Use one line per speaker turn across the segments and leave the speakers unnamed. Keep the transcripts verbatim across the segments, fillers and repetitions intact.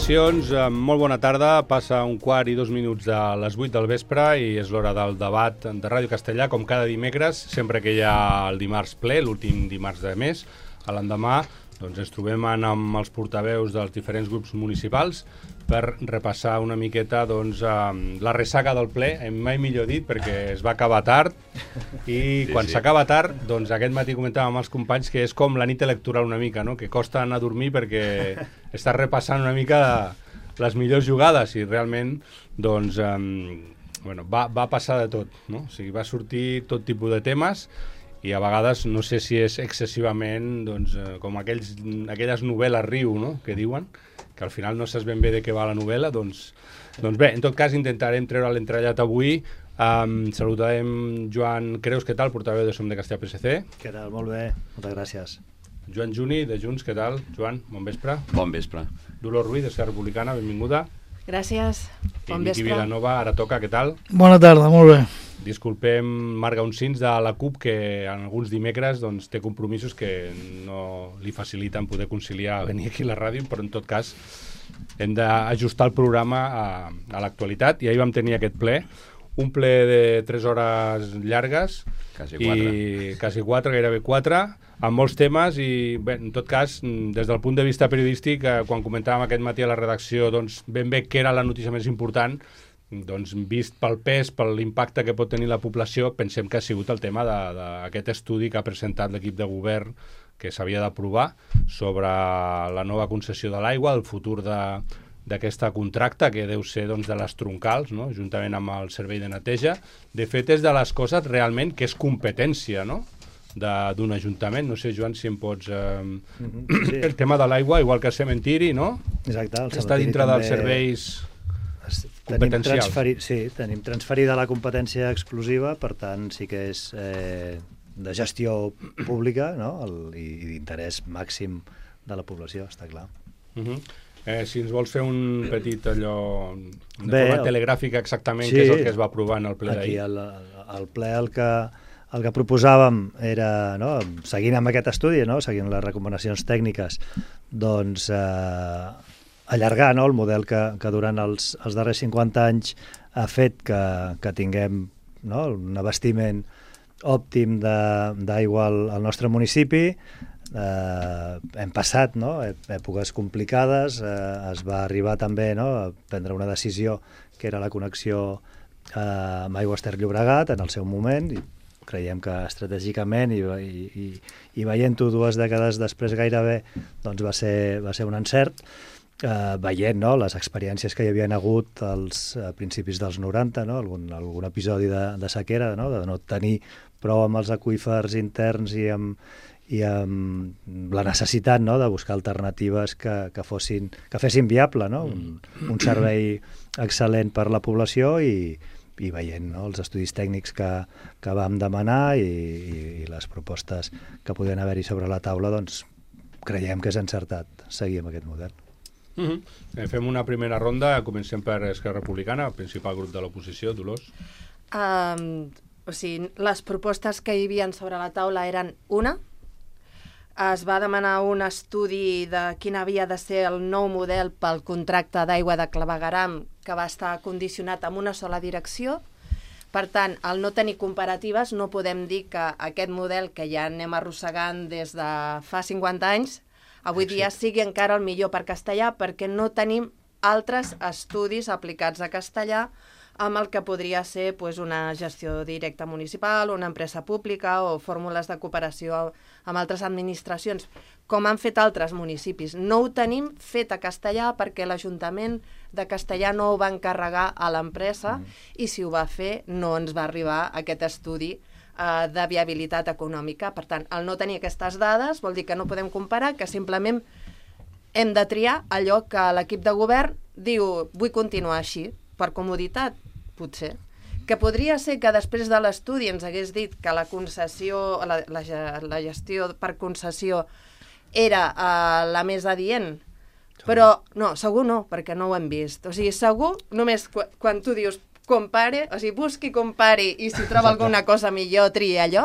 Salutacions, molt bona tarda. Passa un quart i dos minuts de les vuit del vespre i és l'hora del debat de Ràdio Castellà, com cada dimecres, sempre que hi ha el dimarts ple, l'últim dimarts de mes. A l'endemà doncs, ens trobem amb els portaveus dels diferents grups municipals per repassar una miqueta doncs, la ressaca del ple, mai millor dit, perquè es va acabar tard i sí, quan sí. s'acaba tard, doncs aquest matí comentàvem amb els companys que és com la nit electoral una mica, no? Que costa anar a dormir perquè estàs repassant una mica les millors jugades i realment doncs, um, bueno, va, va passar de tot, no? O sigui, va sortir tot tipus de temes i a vegades no sé si és excessivament doncs, com aquells, aquelles novel·les riu, no? Que diuen, que al final no saps ben bé de què va la novel·la, doncs, doncs bé, en tot cas intentarem treure l'entrellat avui. Um, saludarem Joan Creus, què tal, portaveu de Som de Castellà P S C.
Què tal, molt bé, moltes gràcies.
Joan Juni, de Junts, què tal? Joan, bon vespre.
Bon vespre.
Dolors Ruiz, de Esquerra Republicana, benvinguda.
Gràcies, bon
I
vespre.
Miqui Vilanova, ara toca, què tal?
Bona tarda, molt bé.
Disculpem Marc Gaunsins de la CUP, que en alguns dimecres doncs, té compromisos que no li faciliten poder conciliar venir aquí a la ràdio, però en tot cas hem d'ajustar el programa a, a l'actualitat i ahir vam tenir aquest ple, un ple de tres hores llargues,
quasi quatre,
i quasi quatre, gairebé quatre, amb molts temes i bé, en tot cas, des del punt de vista periodístic, eh, quan comentàvem aquest matí a la redacció doncs, ben bé què era la notícia més important, doncs, vist pel pes, per l'impacte que pot tenir la població, pensem que ha sigut el tema d'aquest estudi que ha presentat l'equip de govern que s'havia d'aprovar sobre la nova concessió de l'aigua, el futur d'aquesta contracta, que deu ser doncs, de les troncals, no? Juntament amb el servei de neteja. De fet, és de les coses realment que és competència, no? d'un ajuntament. No sé, Joan, si em pots... Eh, mm-hmm, sí. El tema de l'aigua, igual que el cementiri, no?
Exacte, el
està dintre
també...
dels serveis...
Tenim, transferi... sí, tenim transferida la competència exclusiva, per tant sí que és eh, de gestió pública, no? El, i, i d'interès màxim de la població, està clar.
Uh-huh. eh, si ens vols fer un petit allò de
Bé,
forma
el...
telegràfica exactament,
sí,
què és el que es va aprovar en el ple d'ahir?
Aquí el, el ple el que, el que proposàvem era, no? Seguint amb aquest estudi, no? Seguint les recomanacions tècniques, doncs eh, allargar, no? El model que, que durant els, els darrers cinquanta anys ha fet que, que tinguem, no? Un abastiment òptim d'aigua al, al nostre municipi. Eh, hem passat, no? èpoques complicades, eh, es va arribar també, no? A prendre una decisió que era la connexió eh, amb Aigües Ter Llobregat en el seu moment, i creiem que estratègicament i, i, i veient-ho dues dècades després gairebé doncs va ser, va ser un encert. Uh, veient, no? Les experiències que hi havia hagut als uh, principis dels noranta, no? algun, algun episodi de, de sequera, no? De no tenir prou amb els aqüífers interns i amb, i amb la necessitat, no? De buscar alternatives que, que, fossin, que fessin viable, no? un, un servei excel·lent per la població i, i veient, no? Els estudis tècnics que, que vam demanar i, i, i les propostes que podien haver-hi sobre la taula, doncs creiem que és encertat seguir amb aquest model.
Uh-huh. eh, fem una primera ronda, comencem per Esquerra Republicana, el principal grup de l'oposició. Dolors.
Um, o sigui, les propostes que hi havia sobre la taula eren una. Es va demanar un estudi de quin havia de ser el nou model pel contracte d'aigua de Clavegueram, que va estar condicionat amb una sola direcció. Per tant, al no tenir comparatives, no podem dir que aquest model que ja anem arrossegant des de fa cinquanta anys avui dia sigui encara el millor per castellà, perquè no tenim altres estudis aplicats a castellà amb el que podria ser pues, una gestió directa municipal, una empresa pública o fórmules de cooperació amb altres administracions, com han fet altres municipis. No ho tenim fet a castellà perquè l'Ajuntament de Castellà no ho va encarregar a l'empresa mm. i si ho va fer no ens va arribar aquest estudi de viabilitat econòmica. Per tant, el no tenir aquestes dades vol dir que no podem comparar, que simplement hem de triar allò que l'equip de govern diu vull continuar així, per comoditat, potser. Que podria ser que després de l'estudi ens hagués dit que la concessió, la, la, la gestió per concessió era uh, la més adient, però no, segur no, perquè no ho hem vist. O sigui, segur, només qu quan tu dius compare, o sigui, busqui, compari i si troba alguna cosa millor, triï allò.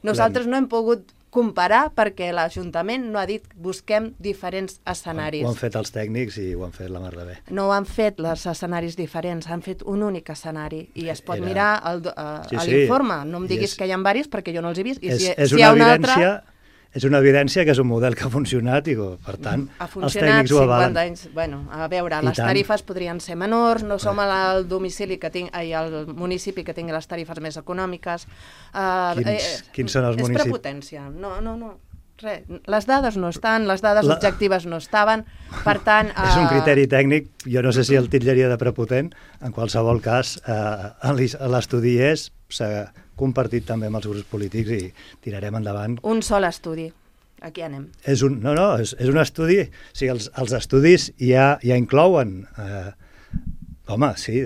Nosaltres no hem pogut comparar perquè l'Ajuntament no ha dit busquem diferents escenaris.
Ho han fet els tècnics i ho han fet la mar de bé.
No ho han fet els escenaris diferents, han fet un únic escenari i es pot
Era...
mirar el, uh,
sí, sí.
l'informe. No em diguis
és...
que hi ha diversos perquè jo no els he vist. I
és,
si,
és,
si
una
hi ha una
evidència,
altra...
és una evidència que és un model que ha funcionat i, per tant, els tècnics ho avalen.
cinquanta anys. Bueno, a veure,
I
les
tant.
tarifes podrien ser menors, no som al domicili que tinc, ai, al municipi que tingui les tarifes més econòmiques. Uh,
quins,
eh,
quins són els
és
municipis?
És prepotència. No, no, no. Res. Les dades no estan, les dades
la...
objectives no estaven, per tant... Uh...
És un criteri tècnic, jo no sé si el titllaria de prepotent, en qualsevol cas, eh, l'estudi és, s'ha compartit també amb els grups polítics i tirarem endavant.
Un sol estudi, aquí anem.
És un, no, no, és, és un estudi, o sigui, els, els estudis ja, ja inclouen... Eh, home, sí,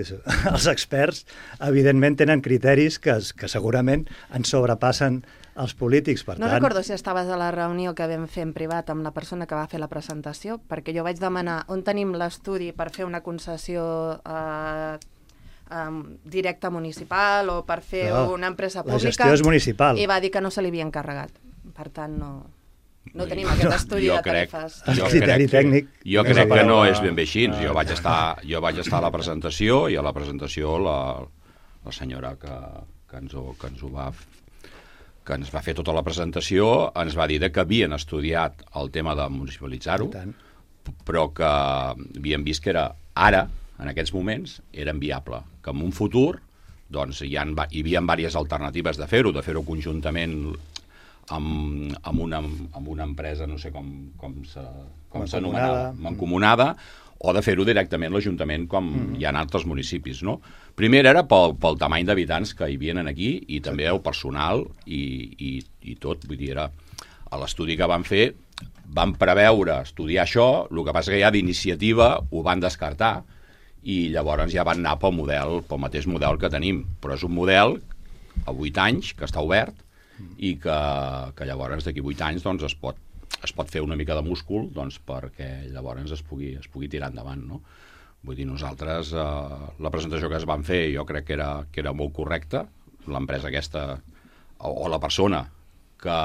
els experts evidentment tenen criteris que, que segurament ens sobrepassen els polítics, per
no
tant...
No recordo si estaves a la reunió que vam fer en privat amb la persona que va fer la presentació, perquè jo vaig demanar on tenim l'estudi per fer una concessió eh, eh, directa municipal o per fer no, una empresa pública.
La gestió és municipal.
I va dir que no se li havia encarregat. Per tant, no... No tenim aquest estudi
jo
de
crec,
tarifes.
Jo
criteri
crec,
tècnic.
Jo crec que no és ben bé així. Jo vaig estar, jo vaig estar a la presentació i a la presentació la, la senyora que, que, ens ho, que ens ho va que ens va fer tota la presentació ens va dir que havien estudiat el tema de municipalitzar-ho, però que havien vist que era ara, en aquests moments, era inviable. Que en un futur doncs, hi, ha, hi havia diverses alternatives de fer-ho, de fer-ho conjuntament amb, amb, una, amb una empresa, no sé com, com s'anomenava, mancomunada, o de fer-ho directament l'Ajuntament com mm-hmm. hi ha en altres municipis, no? Primer era pel, pel tamany d'habitants que hi havien aquí i també el personal i, i, i tot, vull dir, era a l'estudi que van fer van preveure estudiar això, el que passa que ja d'iniciativa ho van descartar i llavors ja van anar pel model, pel mateix model que tenim, però és un model a vuit anys que està obert i que, que llavors d'aquí vuit anys doncs, es, pot, es pot fer una mica de múscul doncs, perquè llavors es pugui, es pugui tirar endavant, no? Vull dir, nosaltres, eh, la presentació que es van fer jo crec que era, que era molt correcta, l'empresa aquesta, o, o la persona que,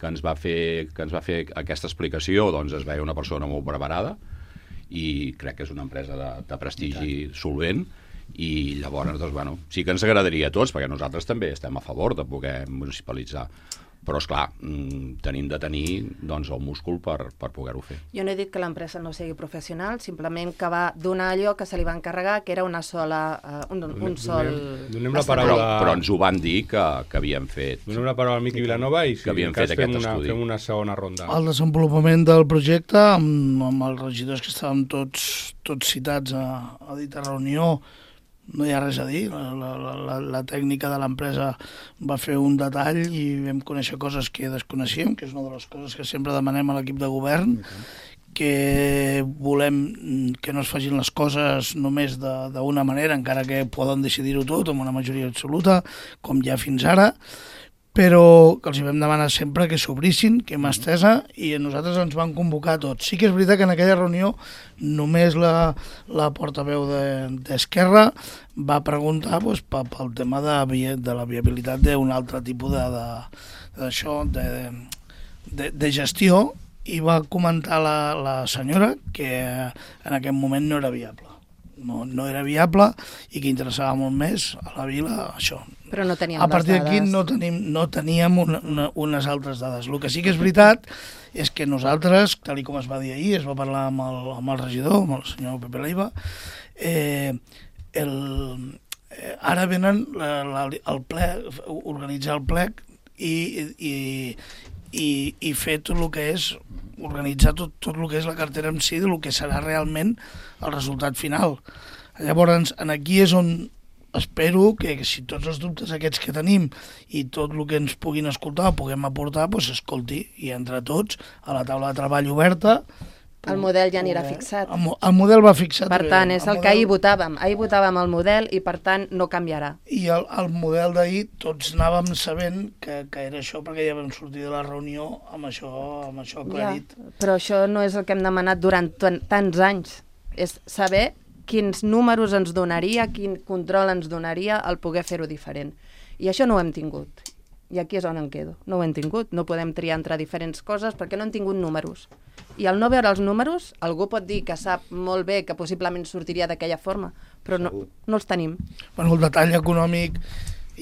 que, ens va fer, que ens va fer aquesta explicació, doncs es veia una persona molt preparada i crec que és una empresa de, de prestigi solvent. I llavors, doncs, bueno, sí que ens agradaria a tots, perquè nosaltres també estem a favor de poder municipalitzar, però, esclar, tenim de tenir doncs, el múscul per, per poder-ho fer.
Jo no he dit que l'empresa no sigui professional, simplement que va donar allò que se li va encarregar, que era una sola, uh, un, un donem, sol...
Donem, donem la paraula...
Però, però ens ho van dir que, que havien fet...
Donem la paraula al Miqui Vilanova i si
que havien fet
fem
aquest
una,
estudi.
fem una segona ronda.
El desenvolupament del projecte, amb, amb els regidors que estàvem tots, tots citats a, a dita reunió, no hi ha res a dir, la, la, la, la tècnica de l'empresa va fer un detall i vam conèixer coses que desconeixíem, que és una de les coses que sempre demanem a l'equip de govern, que volem que no es facin les coses només d'una manera, encara que poden decidir-ho tot amb una majoria absoluta, com ja fins ara, però que els hi vam demanar sempre que s'obrissin, que mà estesa, i a nosaltres ens van convocar tots. Sí que és veritat que en aquella reunió només la, la portaveu d'Esquerra de, va preguntar doncs, pel, pel tema de, de la viabilitat d'un altre tipus de, de, d'això, de, de, de gestió, i va comentar la, la senyora que en aquest moment no era viable. No, no era viable i que interessava molt més a la vila això.
Però no teníem
a partir d'aquí no, tenim, no teníem una, una, unes altres dades. El que sí que és veritat és que nosaltres, tal com es va dir ahir, es va parlar amb el, amb el regidor, amb el senyor Pepe Leiva, eh, el, eh, ara venen la, la, el ple, organitzar el plec i, i, i, i fer tot el que és organitzar tot, tot el que és la cartera en si del que serà realment el resultat final. Llavors, en aquí és on espero que, que si tots els dubtes aquests que tenim i tot el que ens puguin escoltar o puguem aportar, doncs s'escolti i entre tots a la taula de treball oberta.
El model ja anirà fixat.
El, el model va fixat.
Per tant, és el, el
model...
que ahir votàvem. Ahir votàvem el model i, per tant, no canviarà.
I el, el model d'ahir tots anàvem sabent que, que era això perquè ja vam sortir de la reunió amb això, amb això aclarit.
Ja, però això no és el que hem demanat durant tants anys. És saber quins números ens donaria, quin control ens donaria el poder fer-ho diferent. I això no ho hem tingut. I aquí és on em quedo. No ho hem tingut. No podem triar entre diferents coses perquè no hem tingut números. I al no veure els números, algú pot dir que sap molt bé que possiblement sortiria d'aquella forma, però no, no els tenim.
Bueno, el detall econòmic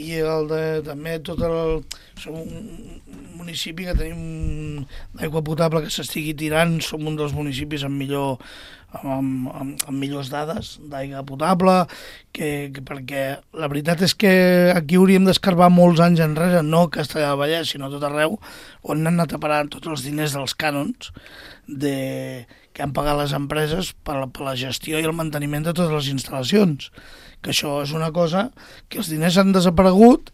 i el de, també tot el... Som un municipi que tenim d'aigua potable que s'estigui tirant, som un dels municipis amb millor amb, amb, amb millors dades d'aigua potable, que, que perquè la veritat és que aquí hauríem d'escarbar molts anys enrere, no a Castellar del Vallès, sinó a tot arreu, on han anat a parar tots els diners dels cànons de, que han pagat les empreses per la, per la gestió i el manteniment de totes les instal·lacions. Que això és una cosa que els diners han desaparegut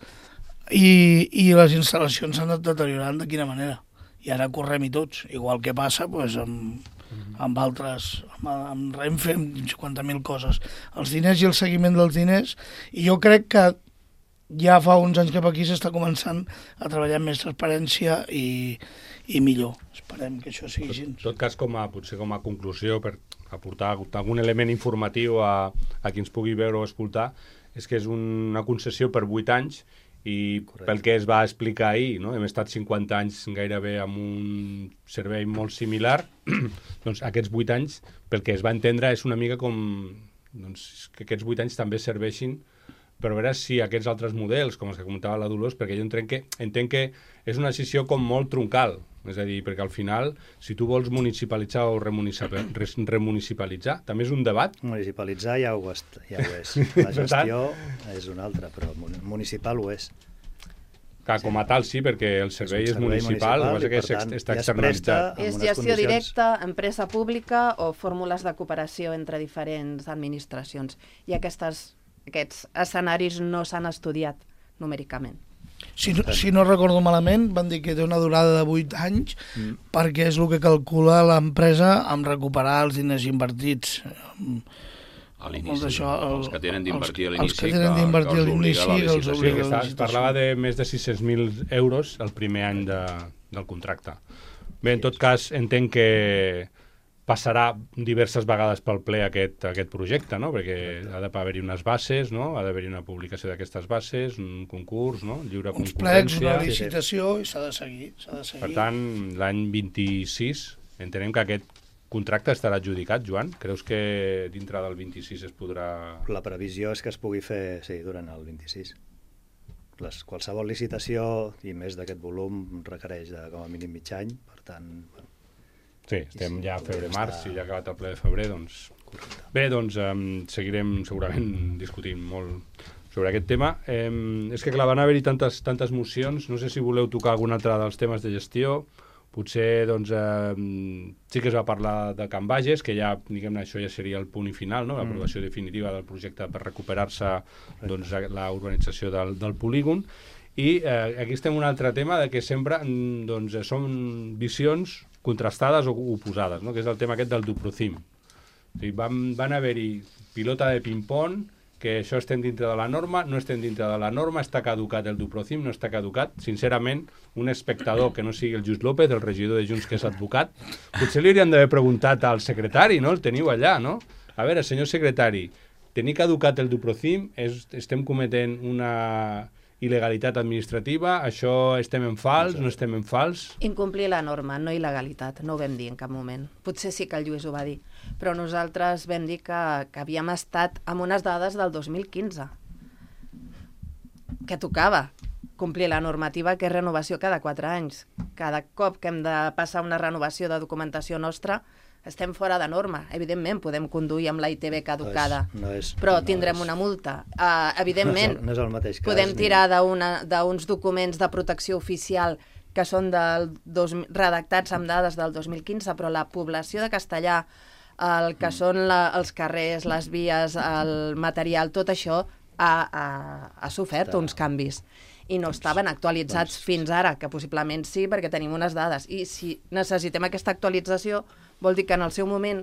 i, i les instal·lacions s'han anat deteriorant de quina manera. I ara correm-hi tots, igual que passa doncs, amb, amb altres, amb, amb Renfe, amb cinquanta mil coses. Els diners i el seguiment dels diners, i jo crec que ja fa uns anys cap aquí s'està començant a treballar amb més transparència i, i millor. Esperem que això sigui així.
En tot cas, com a, potser com a conclusió, per aportar algun element informatiu a, a qui ens pugui veure o escoltar, és que és una concessió per vuit anys i correcte. Pel que es va explicar ahir, no? Hem estat cinquanta anys gairebé amb un servei molt similar, doncs aquests vuit anys, pel que es va entendre, és una mica com doncs, que aquests vuit anys també serveixin per veure si aquests altres models, com els que comentava la Dolors, perquè jo entenc que, entenc que és una decisió com molt troncal, és a dir, perquè al final, si tu vols municipalitzar o remunicipalitzar, també és un debat.
Municipalitzar ja ho, est, ja ho és. La gestió és una altra, però municipal ho és.
Que com a tal sí, perquè el servei és, servei és municipal, municipal que és, tant, està externalitzat.
És gestió condicions... directa, empresa pública o fórmules de cooperació entre diferents administracions. I aquestes, aquests escenaris no s'han estudiat numèricament.
Si no, si no recordo malament, van dir que té una durada de vuit anys mm. perquè és el que calcula l'empresa amb recuperar els diners invertits.
A l'inici, això, el, els que tenen d'invertir a l'inici.
Els que tenen d'invertir a l'inici, els obliga
a la licitació. Parlava de més de sis-cents mil euros el primer any de, del contracte. Bé, en tot cas, entenc que passarà diverses vegades pel ple aquest, aquest projecte, no? Perquè ha d'haver-hi unes bases, no? Ha d'haver-hi una publicació d'aquestes bases, un concurs, no? Lliure
uns
concurrència.
Plecs, una licitació, i s'ha de seguir, s'ha de seguir.
Per tant, l'any vint-i-sis entenem que aquest contracte estarà adjudicat, Joan? Creus que dintre del vint-i-sis es podrà...
La previsió és que es pugui fer, sí, durant el vint-i-sis. Les, qualsevol licitació, i més d'aquest volum, requereix de, com a mínim mig any, per tant... Bueno,
sí, estem ja a febrer-març, si ja ha acabat el ple de febrer, doncs... Correcte. Bé, doncs um, seguirem segurament discutint molt sobre aquest tema. Um, és que clar, van haver-hi tantes, tantes mocions, no sé si voleu tocar algun altre dels temes de gestió, potser doncs um, sí que es va parlar de Can Bages, que ja, diguem-ne, això ja seria el punt i final, no? L'aprovació mm. definitiva del projecte per recuperar-se doncs, la urbanització del, del polígon. I eh, aquí estem un altre tema de que sempre doncs, són visions contrastades o oposades, no? Que és el tema aquest del Duprocim. O sigui, van, van haver-hi pilota de ping-pong, que això estem dintre de la norma, no estem dintre de la norma, està caducat el Duprocim, no està caducat. Sincerament, un espectador que no sigui el Just López, el regidor de Junts que és advocat, potser li hauríem d'haver preguntat al secretari, no? El teniu allà, no? A veure, senyor secretari, tenir caducat el Duprocim, és, estem cometent una il·legalitat administrativa, això estem en fals, no estem en fals?
Incomplir la norma, no il·legalitat, no ho vam dir en cap moment. Potser sí que el Lluís ho va dir, però nosaltres vam dir que, que havíem estat amb unes dades del dos mil quinze, que tocava complir la normativa, que és renovació cada quatre anys. Cada cop que hem de passar una renovació de documentació nostra, estem fora de norma. Evidentment, podem conduir amb la I T V caducada, no és, no és, però tindrem no és, una multa. Uh, evidentment,
no és el, no és el mateix cas,
podem tirar d'uns documents de protecció oficial que són del dos, redactats amb dades del dos mil quinze, però la població de Castellar, el que mm. són la, els carrers, les vies, el material, tot això ha, ha, ha sofert Està. uns canvis. I no estaven actualitzats doncs, fins ara, que possiblement sí, perquè tenim unes dades. I si necessitem aquesta actualització, vol dir que en el seu moment,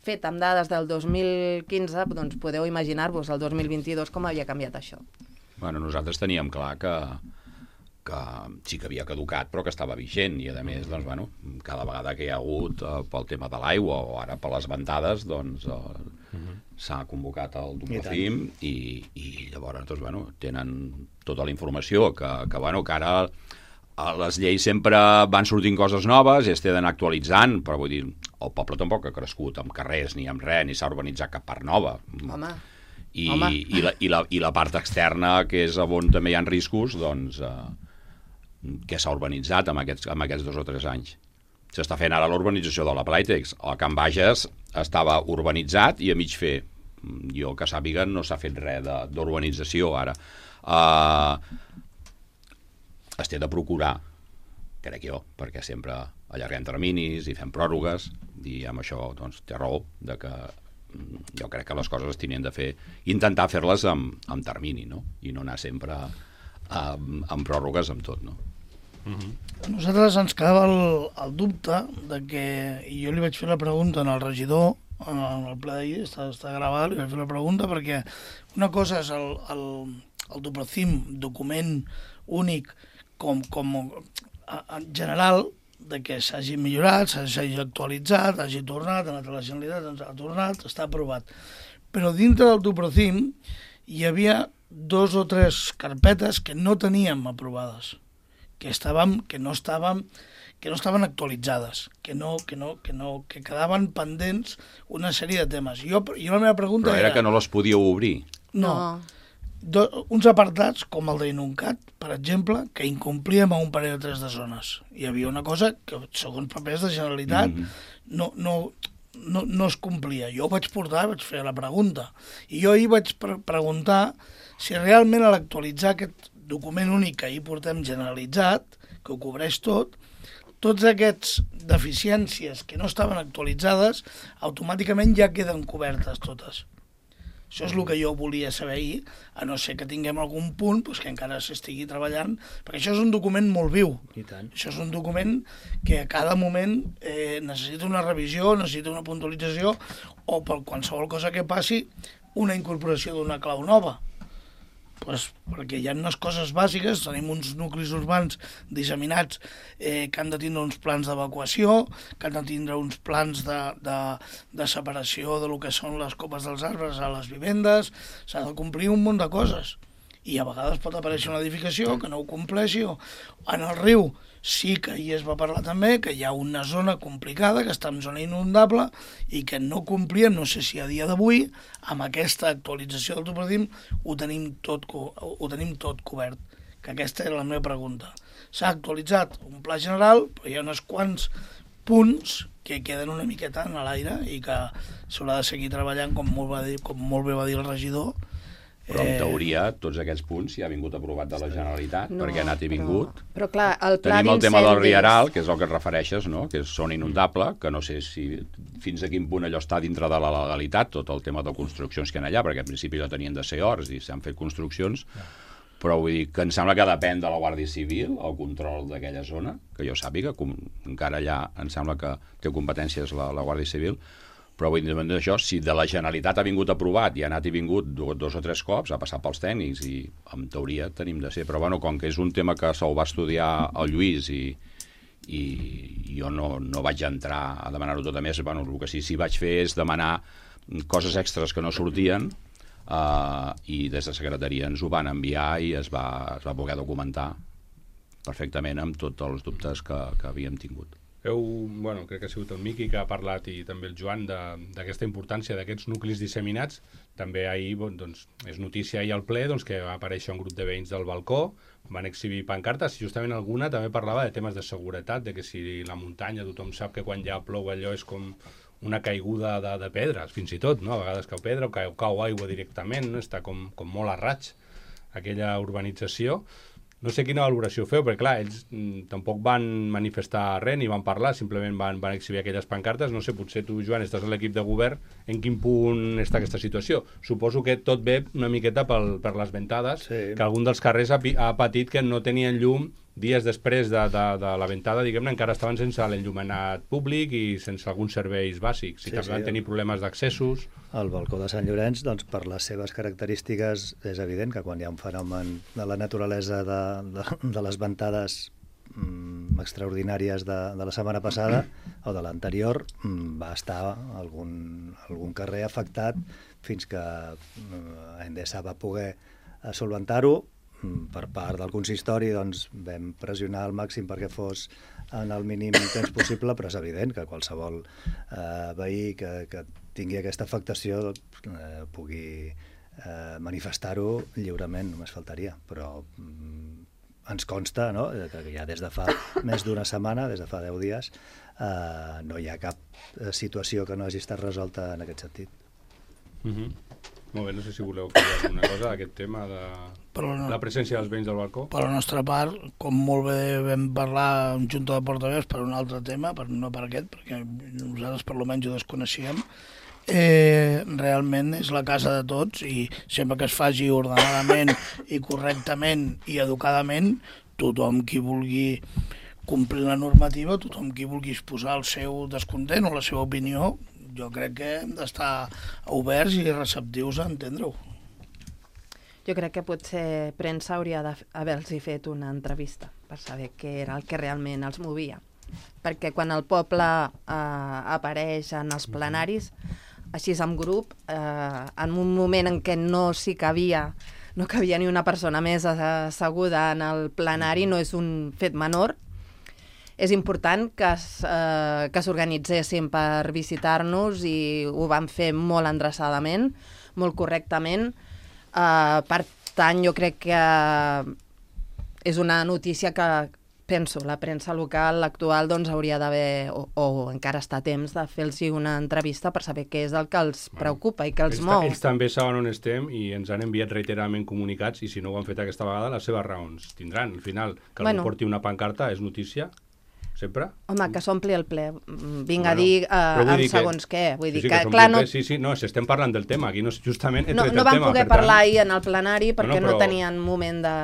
fet amb dades del dos mil quinze, doncs podeu imaginar-vos el dos mil vint-i-dos com havia canviat això.
Bueno, nosaltres teníem clar que, que sí que havia caducat, però que estava vigent, i a més, doncs, bueno, cada vegada que hi ha hagut eh, pel tema de l'aigua o ara per les ventades, doncs, eh, uh-huh. s'ha convocat el Duplacim i, i llavors doncs, bueno, tenen tota la informació que, que, bueno, que ara a les lleis sempre van sortint coses noves i es tenen actualitzant, però vull dir, el poble tampoc ha crescut amb carrers ni amb res, ni s'ha urbanitzat cap part nova.
Home,
I,
home.
i, la, i, la, i la part externa, que és on també hi ha riscos, doncs, eh, que s'ha urbanitzat en aquests, en aquests dos o tres anys. S'està fent ara l'urbanització de la Playtex. El Can Bages estava urbanitzat i a mig fer. Jo, que sàpiga, no s'ha fet res d'urbanització ara. Uh, es té de procurar, crec jo, perquè sempre allarguem terminis i fem pròrrogues, i amb això doncs, té raó, de que jo crec que les coses es tenien de fer, intentar fer-les amb, amb termini, no? I no anar sempre amb, amb pròrrogues amb tot, no?
A nosaltres ens quedava el, el dubte de que, i jo li vaig fer la pregunta al regidor, en el ple d'ahir, està, està gravat, li vaig fer la pregunta perquè una cosa és el, el, el Duplacim, document únic com, com en general, de que s'hagi millorat, s'hagi actualitzat, hagi tornat, ha anat a la Generalitat, ens ha tornat, està aprovat. Però dintre del Duplacim hi havia dos o tres carpetes que no teníem aprovades, que estàvem, que no estàvem, que no estaven actualitzades, que no, que no, que no, que quedaven pendents una sèrie de temes. Jo, jo la meva pregunta
Però era,
era
que no les podíeu obrir.
No. Do, uns apartats, com el d'Inuncat, per exemple, que incomplíem a un parell o tres de zones. Hi havia una cosa que, segons papers de Generalitat, mm-hmm. no, no, no, no es complia. Jo ho vaig portar, vaig fer la pregunta. I jo ahir vaig pre preguntar si realment a l'actualitzar aquest document únic que ahir portem generalitzat, que ho cobreix tot, tots aquests deficiències que no estaven actualitzades automàticament ja queden cobertes totes. Això és el que jo volia saber ahir, a no ser que tinguem algun punt doncs, que encara s'estigui treballant, perquè això és un document molt viu.
I tant.
Això és un document que a cada moment eh, necessita una revisió, necessita una puntualització, o per qualsevol cosa que passi, una incorporació d'una clau nova. Pues perquè hi ha unes coses bàsiques, tenim uns nuclis urbans disseminats eh, que han de tindre uns plans d'evacuació, que han de tindre uns plans de, de, de separació de lo que són les copes dels arbres a les vivendes, s'ha de complir un munt de coses. I a vegades pot aparèixer una edificació que no ho compleixi, o en el riu sí que hi es va parlar també, que hi ha una zona complicada, que està en zona inundable, i que no complien, no sé si a dia d'avui, amb aquesta actualització del Duplacim, ho tenim tot, ho tenim tot cobert. Que aquesta era la meva pregunta. S'ha actualitzat un pla general, però hi ha uns quants punts que queden una miqueta en l'aire i que s'haurà de seguir treballant, com molt, va dir, com molt bé va dir el regidor.
Però en teoria tots aquests punts ja ha vingut aprovat de la Generalitat, no, perquè ha anat i vingut.
Però, però clar, el pla
Tenim el tema del Rieral, que és el que et refereixes, no? Que és zona inundable, que no sé si fins a quin punt allò està dintre de la legalitat, tot el tema de construccions que hi ha allà, perquè en principi ja tenien de ser horts i s'han fet construccions, però vull dir que em sembla que depèn de la Guàrdia Civil, el control d'aquella zona, que jo sàpiga, com encara allà em sembla que té competències la, la Guàrdia Civil, però vull dir això, si de la Generalitat ha vingut aprovat i ha anat i vingut dos o tres cops, ha passat pels tècnics i en teoria tenim de ser, però bueno, com que és un tema que se'l va estudiar el Lluís i, i jo no, no vaig entrar a demanar-ho tot, a més, bueno, el que sí, sí vaig fer és demanar coses extres que no sortien uh, i des de secretaria ens ho van enviar i es va, es va poder documentar perfectament amb tots els dubtes que, que havíem tingut.
Heu, bueno, crec que ha sigut el Miqui que ha parlat i també el Joan d'aquesta importància d'aquests nuclis disseminats. També ahir, bon, doncs, és notícia ahir al ple doncs, que va aparèixer un grup de veïns del balcó, van exhibir pancartes, i justament alguna també parlava de temes de seguretat, de que si la muntanya tothom sap que quan ja plou allò és com una caiguda de, de pedres, fins i tot, no? A vegades cau pedra o cau, cau aigua directament, no? Està com, com molt a raig aquella urbanització. No sé quina valoració feu, perquè clar, ells mm, tampoc van manifestar res ni van parlar, simplement van, van exhibir aquelles pancartes. No sé, potser tu, Joan, estàs a l'equip de govern, en quin punt està aquesta situació? Suposo que tot ve una miqueta pel, per les ventades, sí. Que algun dels carrers ha, ha patit que no tenien llum dies després de, de, de la ventada, diguem-ne, encara estaven sense l'enllumenat públic i sense alguns serveis bàsics. I sí, també sí, van tenir problemes d'accessos.
El balcó de Sant Llorenç, doncs, per les seves característiques, és evident que quan hi ha un fenomen de la naturalesa de, de, de les ventades mm, extraordinàries de, de la setmana passada o de l'anterior, mm, va estar algun, algun carrer afectat fins que mm, Endesa va poder solventar-ho. Per part del consistori doncs, vam pressionar al màxim perquè fos en el mínim temps possible, però és evident que qualsevol eh, veí que, que tingui aquesta afectació eh, pugui eh, manifestar-ho lliurement, només faltaria, però mm, ens consta, no?, que ja des de fa més d'una setmana, des de fa deu dies, eh, no hi ha cap situació que no hagi estat resolta en aquest sentit.
Mm-hmm. Molt bé, no sé si voleu dir alguna cosa d'aquest tema de no, la presència dels veïns del balcó.
Per la nostra part, com molt bé vam parlar en Junta de Portaveus per un altre tema, per, no per aquest, perquè nosaltres per almenys ho desconeixíem, eh, realment és la casa de tots i sempre que es faci ordenadament i correctament i educadament, tothom qui vulgui complir la normativa, tothom qui vulgui exposar el seu descontent o la seva opinió, jo crec que hem d'estar oberts i receptius a entendre-ho.
Jo crec que potser premsa hauria d'haver-los fet una entrevista per saber què era el que realment els movia. Perquè quan el poble eh, apareix en els plenaris, així en grup, eh, en un moment en què no s'hi cabia, no cabia ni una persona més asseguda en el plenari, no és un fet menor. És important que eh, que s'organitzessin per visitar-nos i ho van fer molt endreçadament, molt correctament. Eh, per tant, jo crec que és una notícia que, penso, la premsa local actual doncs, hauria d'haver, o, o encara està a temps, de fer-los una entrevista per saber què és el que els preocupa i que els
ells,
mou.
Ells també saben on estem i ens han enviat reiteradament comunicats i si no ho han fet aquesta vegada, les seves raons tindran. Al final, que
bueno.
algú porti una pancarta és notícia. Sempre?
Home, que s'ompli el ple. Vinc
bueno,
a dir uh, amb
dir
segons
que,
què. Vull dir
sí, sí,
que,
que
clar, no...
Sí, sí, no, si estem parlant del tema, aquí no, justament he
no,
tret
no
el
van
tema.
poder
per
parlar
tant...
ahir en el plenari perquè no, no,
no
tenien moment de...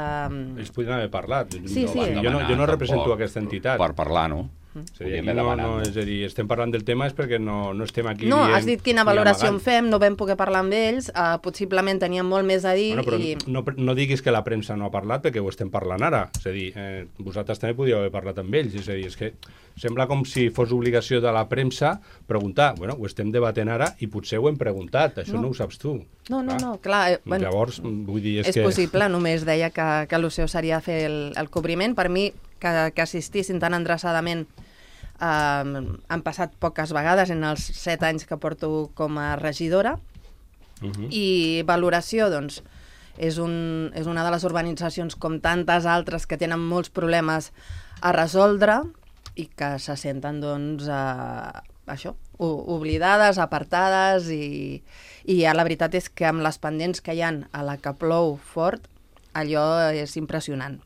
Ells podien haver parlat.
Sí, sí.
Jo no, jo no represento aquesta entitat.
Per parlar, no?
Sí, no, no, és a dir, estem parlant del tema és perquè no, no estem aquí
no,
dient...
No, has dit quina valoració en fem, no vam poder parlar amb ells, uh, possiblement teníem molt més a dir...
Bueno, però
i...
no, no diguis que la premsa no ha parlat perquè ho estem parlant ara. És a dir, eh, vosaltres també podíeu haver parlat amb ells. És a dir, és que sembla com si fos obligació de la premsa preguntar. Bueno, ho estem debatent ara i potser ho hem preguntat. Això no, no ho saps tu.
No, no, no, clar. Eh, bueno,
llavors, vull dir, és,
és
que...
És possible, només deia que, que l'O C E O seria fer el, el cobriment. Per mi, que, que assistissin tan endreçadament Uh, han passat poques vegades en els set anys que porto com a regidora. Uh-huh. I valoració, doncs, és, un, és una de les urbanitzacions com tantes altres que tenen molts problemes a resoldre i que se senten, doncs, uh, això, oblidades, apartades i, i ja la veritat és que amb les pendents que hi ha a la que plou fort, allò és impressionant.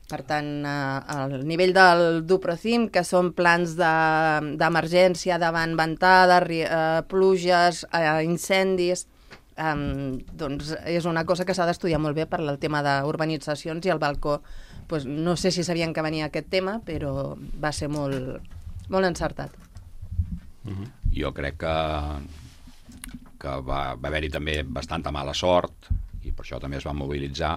Per tant, eh, el nivell del Duprocim, que són plans d'emergència de, davant ventades, eh, pluges, eh, incendis, eh, doncs és una cosa que s'ha d'estudiar molt bé per el tema d'urbanitzacions i el balcó. Pues, no sé si sabien que venia aquest tema, però va ser molt, molt encertat.
Uh-huh. Jo crec que, que va, va haver-hi també bastanta mala sort i per això també es va mobilitzar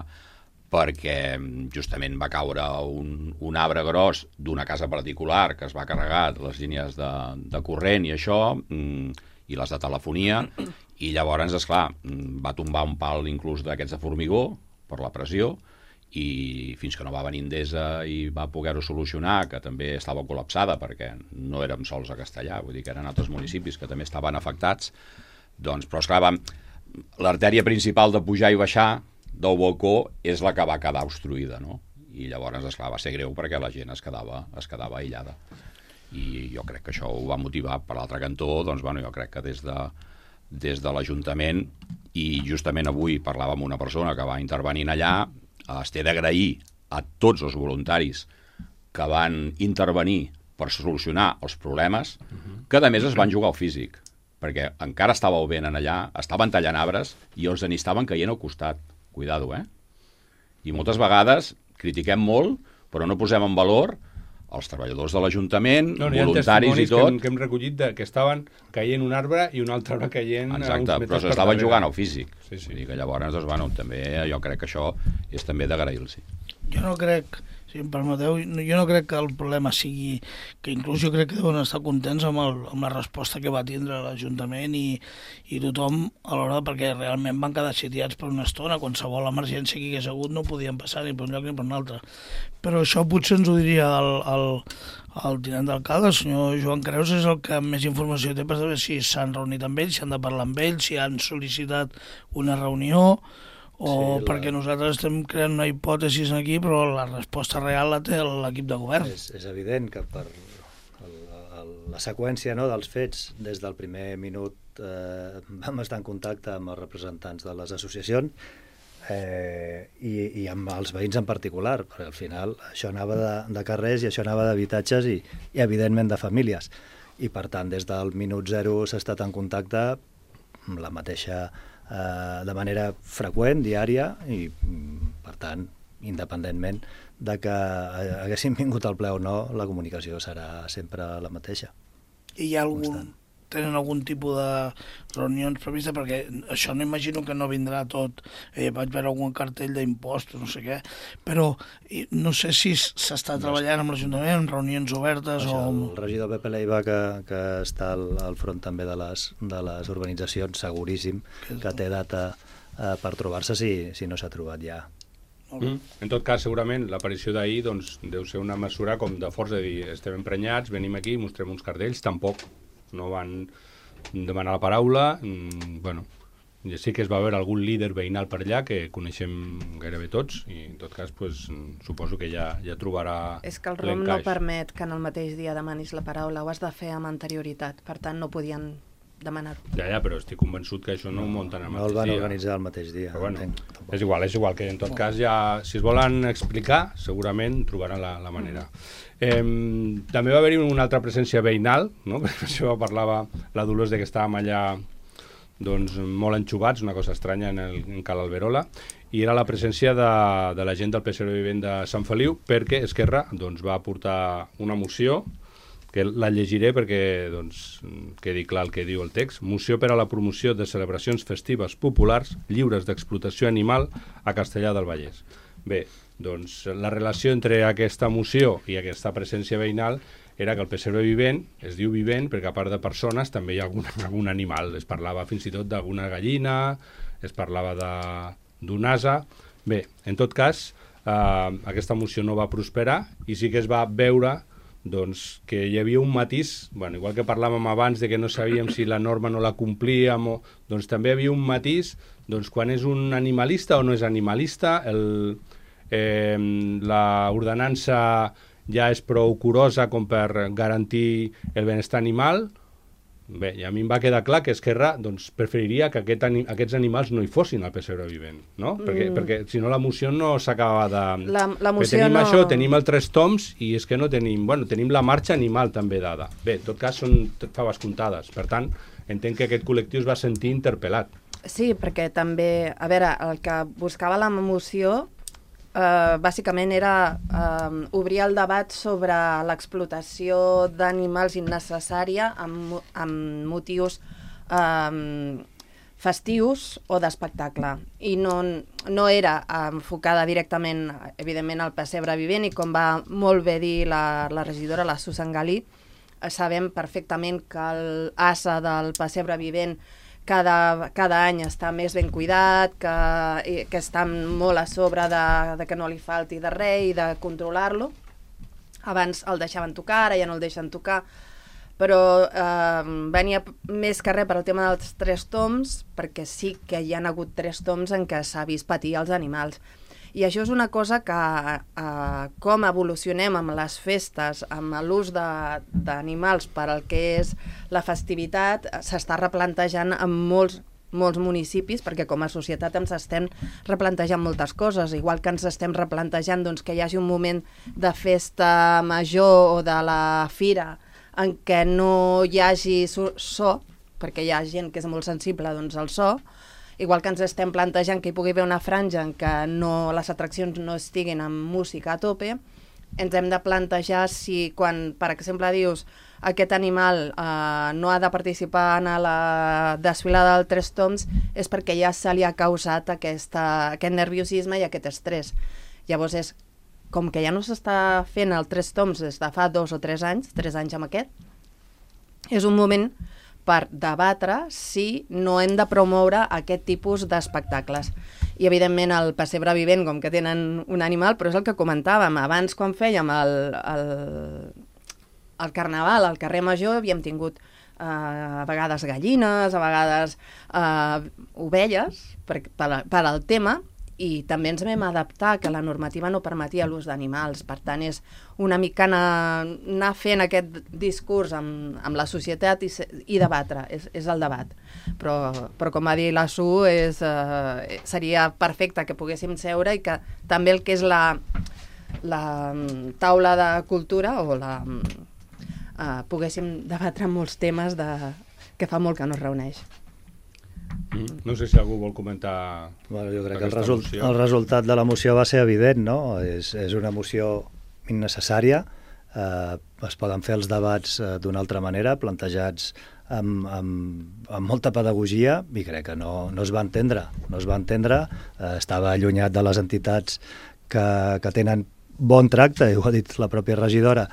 perquè justament va caure un, un arbre gros d'una casa particular que es va carregar les línies de, de corrent i això, i les de telefonia, i llavors, esclar, va tombar un pal inclús d'aquests de formigó per la pressió, i fins que no va venir Endesa i va poder-ho solucionar, que també estava col·lapsada perquè no érem sols a Castellà, vull dir que eren altres municipis que també estaven afectats, doncs, però esclar, l'artèria principal de pujar i baixar del balcó és la que va quedar obstruïda, no? I llavors, esclar, va ser greu perquè la gent es quedava, es quedava aïllada. I jo crec que això ho va motivar. Per l'altre cantó, doncs, bueno, jo crec que des de, des de l'Ajuntament, i justament avui parlava amb una persona que va intervenir allà, es té d'agrair a tots els voluntaris que van intervenir per solucionar els problemes, que a més es van jugar al físic, perquè encara estàveu vent allà, estaven tallant arbres i els en estaven caient al costat. Cuidado, eh? I moltes vegades critiquem molt, però no posem en valor els treballadors de l'Ajuntament, no, no, voluntaris i tot...
Que hem, que hem recollit de, que estaven caient un arbre i un altre arbre caient...
Exacte, però s'estaven jugant al físic. Sí, sí. Vull dir que llavors, doncs, bueno, també jo crec que això és també d'agrair-los.
jo no crec, si em permeteu, jo no crec que el problema sigui que inclús jo crec que deuen estar contents amb, el, amb la resposta que va tindre l'Ajuntament i, i tothom a l'hora, perquè realment van quedar sitiats per una estona, qualsevol emergència que hi hagués hagut no podien passar ni per un lloc ni per un altre. Però això potser ens ho diria el, el, el tinent d'alcalde, el senyor Joan Creus, és el que més informació té per saber si s'han reunit amb ells, si han de parlar amb ells, si han sol·licitat una reunió, o sí, la... perquè nosaltres estem creant una hipòtesi aquí, però la resposta real la té l'equip de govern.
És, és evident que per el, el, la seqüència, no, dels fets, des del primer minut eh, vam estar en contacte amb els representants de les associacions eh, i, i amb els veïns en particular, perquè al final això anava de, de carrers i això anava d'habitatges i, i evidentment de famílies. I per tant, des del minut zero s'ha estat en contacte amb la mateixa de manera freqüent, diària, i per tant, independentment de que haguessin vingut al ple o no, la comunicació serà sempre la mateixa.
I hi ha algun, constant. Tenen algun tipus de reunions previstes? Perquè això no imagino que no vindrà tot. Eh, vaig veure algun cartell d'impostos, no sé què, però no sé si s'està treballant amb l'Ajuntament, en reunions obertes
això,
o...
El regidor Pepe Leiva, que, que està al, al front també de les, de les urbanitzacions, seguríssim que té data eh, per trobar-se si, si no s'ha trobat ja.
Mm. En tot cas, segurament, l'aparició d'ahir doncs, deu ser una mesura com de força, de dir, estem emprenyats, venim aquí, mostrem uns cartells, tampoc no van demanar la paraula. Mm, bueno, sí que es va veure algun líder veïnal per allà que coneixem gairebé tots i en tot cas pues, suposo que ja, ja trobarà l'encaix.
És que el R O M no permet que en el mateix dia demanis la paraula, ho has de fer amb anterioritat, per tant no podien demanar-ho.
Ja, ja, però estic convençut que això no ho munten el mateix dia.
No el van dia. organitzar el mateix dia.
Però bueno,
entenc,
és igual, és igual, que en tot cas ja, si es volen explicar, segurament trobaran la, la manera. Eh, també va haver-hi una altra presència veïnal, no? Perquè això parlava la Dolors de que estàvem allà doncs, molt enxugats, una cosa estranya en, el, en Cal Alberola, i era la presència de, de la gent del P S R Vivent de Sant Feliu, perquè Esquerra doncs, va portar una moció que la llegiré perquè doncs, quedi clar el que diu el text. Moció per a la promoció de celebracions festives populars lliures d'explotació animal a Castellar del Vallès. Bé, doncs la relació entre aquesta moció i aquesta presència veïnal era que el pessebre vivent es diu vivent perquè a part de persones també hi ha algun, algun animal. Es parlava fins i tot d'alguna gallina, es parlava d'un ase. Bé, en tot cas, eh, aquesta moció no va prosperar i sí que es va veure doncs, que hi havia un matís, bueno, igual que parlàvem abans de que no sabíem si la norma no la complíem, o, doncs també hi havia un matís doncs, quan és un animalista o no és animalista, el, eh, l'ordenança ja és prou curosa com per garantir el benestar animal. Bé, i a mi em va quedar clar que Esquerra doncs, preferiria que aquest ani aquests animals no hi fossin al pessebre vivent, no? Mm. Perquè, perquè si no la moció no s'acabava de...
La, la moció
tenim
no...
això, tenim el tres toms i és que no tenim... Bueno, tenim la marxa animal també dada. Bé, en tot cas són faves comptades. Per tant, entenc que aquest col·lectiu es va sentir interpel·lat.
Sí, perquè també... A veure, el que buscava la moció Uh, bàsicament era uh, obrir el debat sobre l'explotació d'animals innecessària amb, amb motius uh, festius o d'espectacle. I no, no era enfocada directament, evidentment, al pessebre vivent, i com va molt bé dir la, la regidora, la Susan Galí, sabem perfectament que l'ase del pessebre vivent Cada, cada any està més ben cuidat, que, que està molt a sobre de, de que no li falti de res i de controlar-lo. Abans el deixaven tocar, ara ja no el deixen tocar, però eh, venia més que res per al tema dels tres toms, perquè sí que hi ha hagut tres toms en què s'ha vist patir els animals. I això és una cosa que, eh, com evolucionem amb les festes, amb l'ús d'animals per al que és la festivitat, s'està replantejant en molts, molts municipis, perquè com a societat ens estem replantejant moltes coses, igual que ens estem replantejant doncs, que hi hagi un moment de festa major o de la fira en què no hi hagi so, perquè hi ha gent que és molt sensible doncs, al so, igual que ens estem plantejant que hi pugui haver una franja en què no, les atraccions no estiguin amb música a tope, ens hem de plantejar si quan, per exemple, dius aquest animal eh, no ha de participar en la desfilada del Tres Toms és perquè ja se li ha causat aquesta, aquest nerviosisme i aquest estrès. Llavors és com que ja no s'està fent el Tres Toms des de fa dos o tres anys, tres anys amb aquest, és un moment per debatre si no hem de promoure aquest tipus d'espectacles. I, evidentment, el pessebre vivent, com que tenen un animal, però és el que comentàvem. Abans, quan fèiem el, el, el carnaval al carrer Major, havíem tingut eh, a vegades gallines, a vegades eh, ovelles, per, per, per al tema, i també ens vam adaptar que la normativa no permetia l'ús d'animals. Per tant, és una mica anar, anar fent aquest discurs amb, amb la societat i, i debatre, és, és el debat. Però, però com va dir la Su, és, eh, seria perfecte que poguéssim seure i que també el que és la, la taula de cultura o la, eh, poguéssim debatre molts temes de, que fa molt que no es reuneix.
Mm. No sé si algú vol comentar.
Bueno, jo crec que el, result, el resultat de la moció va ser evident, no? És, és una moció innecessària, eh, es poden fer els debats eh, d'una altra manera, plantejats amb, amb, amb molta pedagogia, i crec que no, no es va entendre, no es va entendre, eh, estava allunyat de les entitats que, que tenen bon tracte, i ho ha dit la pròpia regidora,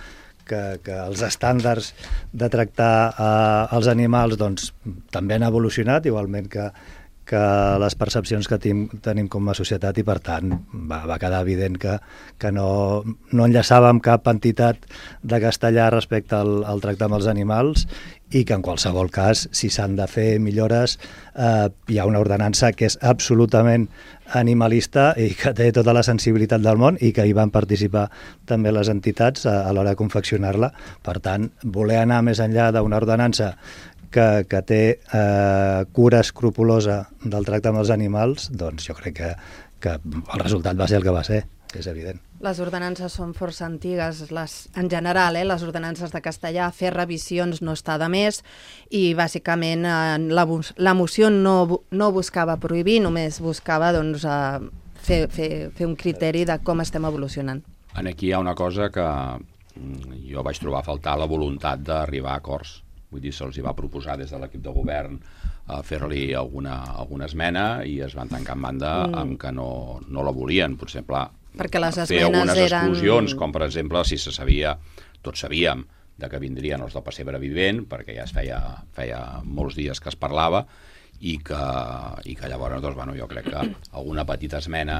que, que els estàndards de tractar eh, els animals doncs, també han evolucionat, igualment que, que les percepcions que tim, tenim com a societat, i per tant va, va quedar evident que, que no, no enllaçàvem cap entitat de castellà respecte al, al tracte amb els animals, i que en qualsevol cas, si s'han de fer millores, eh, hi ha una ordenança que és absolutament animalista i que té tota la sensibilitat del món, i que hi van participar també les entitats a, a l'hora de confeccionar-la. Per tant, voler anar més enllà d'una ordenança que, que té eh, cura escrupulosa del tracte amb els animals, doncs jo crec que, que el resultat va ser el que va ser, és evident.
Les ordenances són força antigues, les, en general, eh, les ordenances de castellà, fer revisions no està de més, i bàsicament eh, la, la moció no, no buscava prohibir, només buscava doncs, eh, fer, fer, fer un criteri de com estem evolucionant.
Aquí hi ha una cosa que jo vaig trobar a faltar, la voluntat d'arribar a acords. Vull dir, se'ls va proposar des de l'equip de govern a fer-li alguna, alguna esmena, i es van tancar en banda mm. amb que no, no la volien. Per exemple,
perquè les
fer algunes
eren...
exclusions, com per exemple, si se sabia, tots sabíem, de que vindrien els del pessebre vivent, perquè ja es feia, feia molts dies que es parlava, i que, i que llavors, doncs, bueno, jo crec que alguna petita esmena,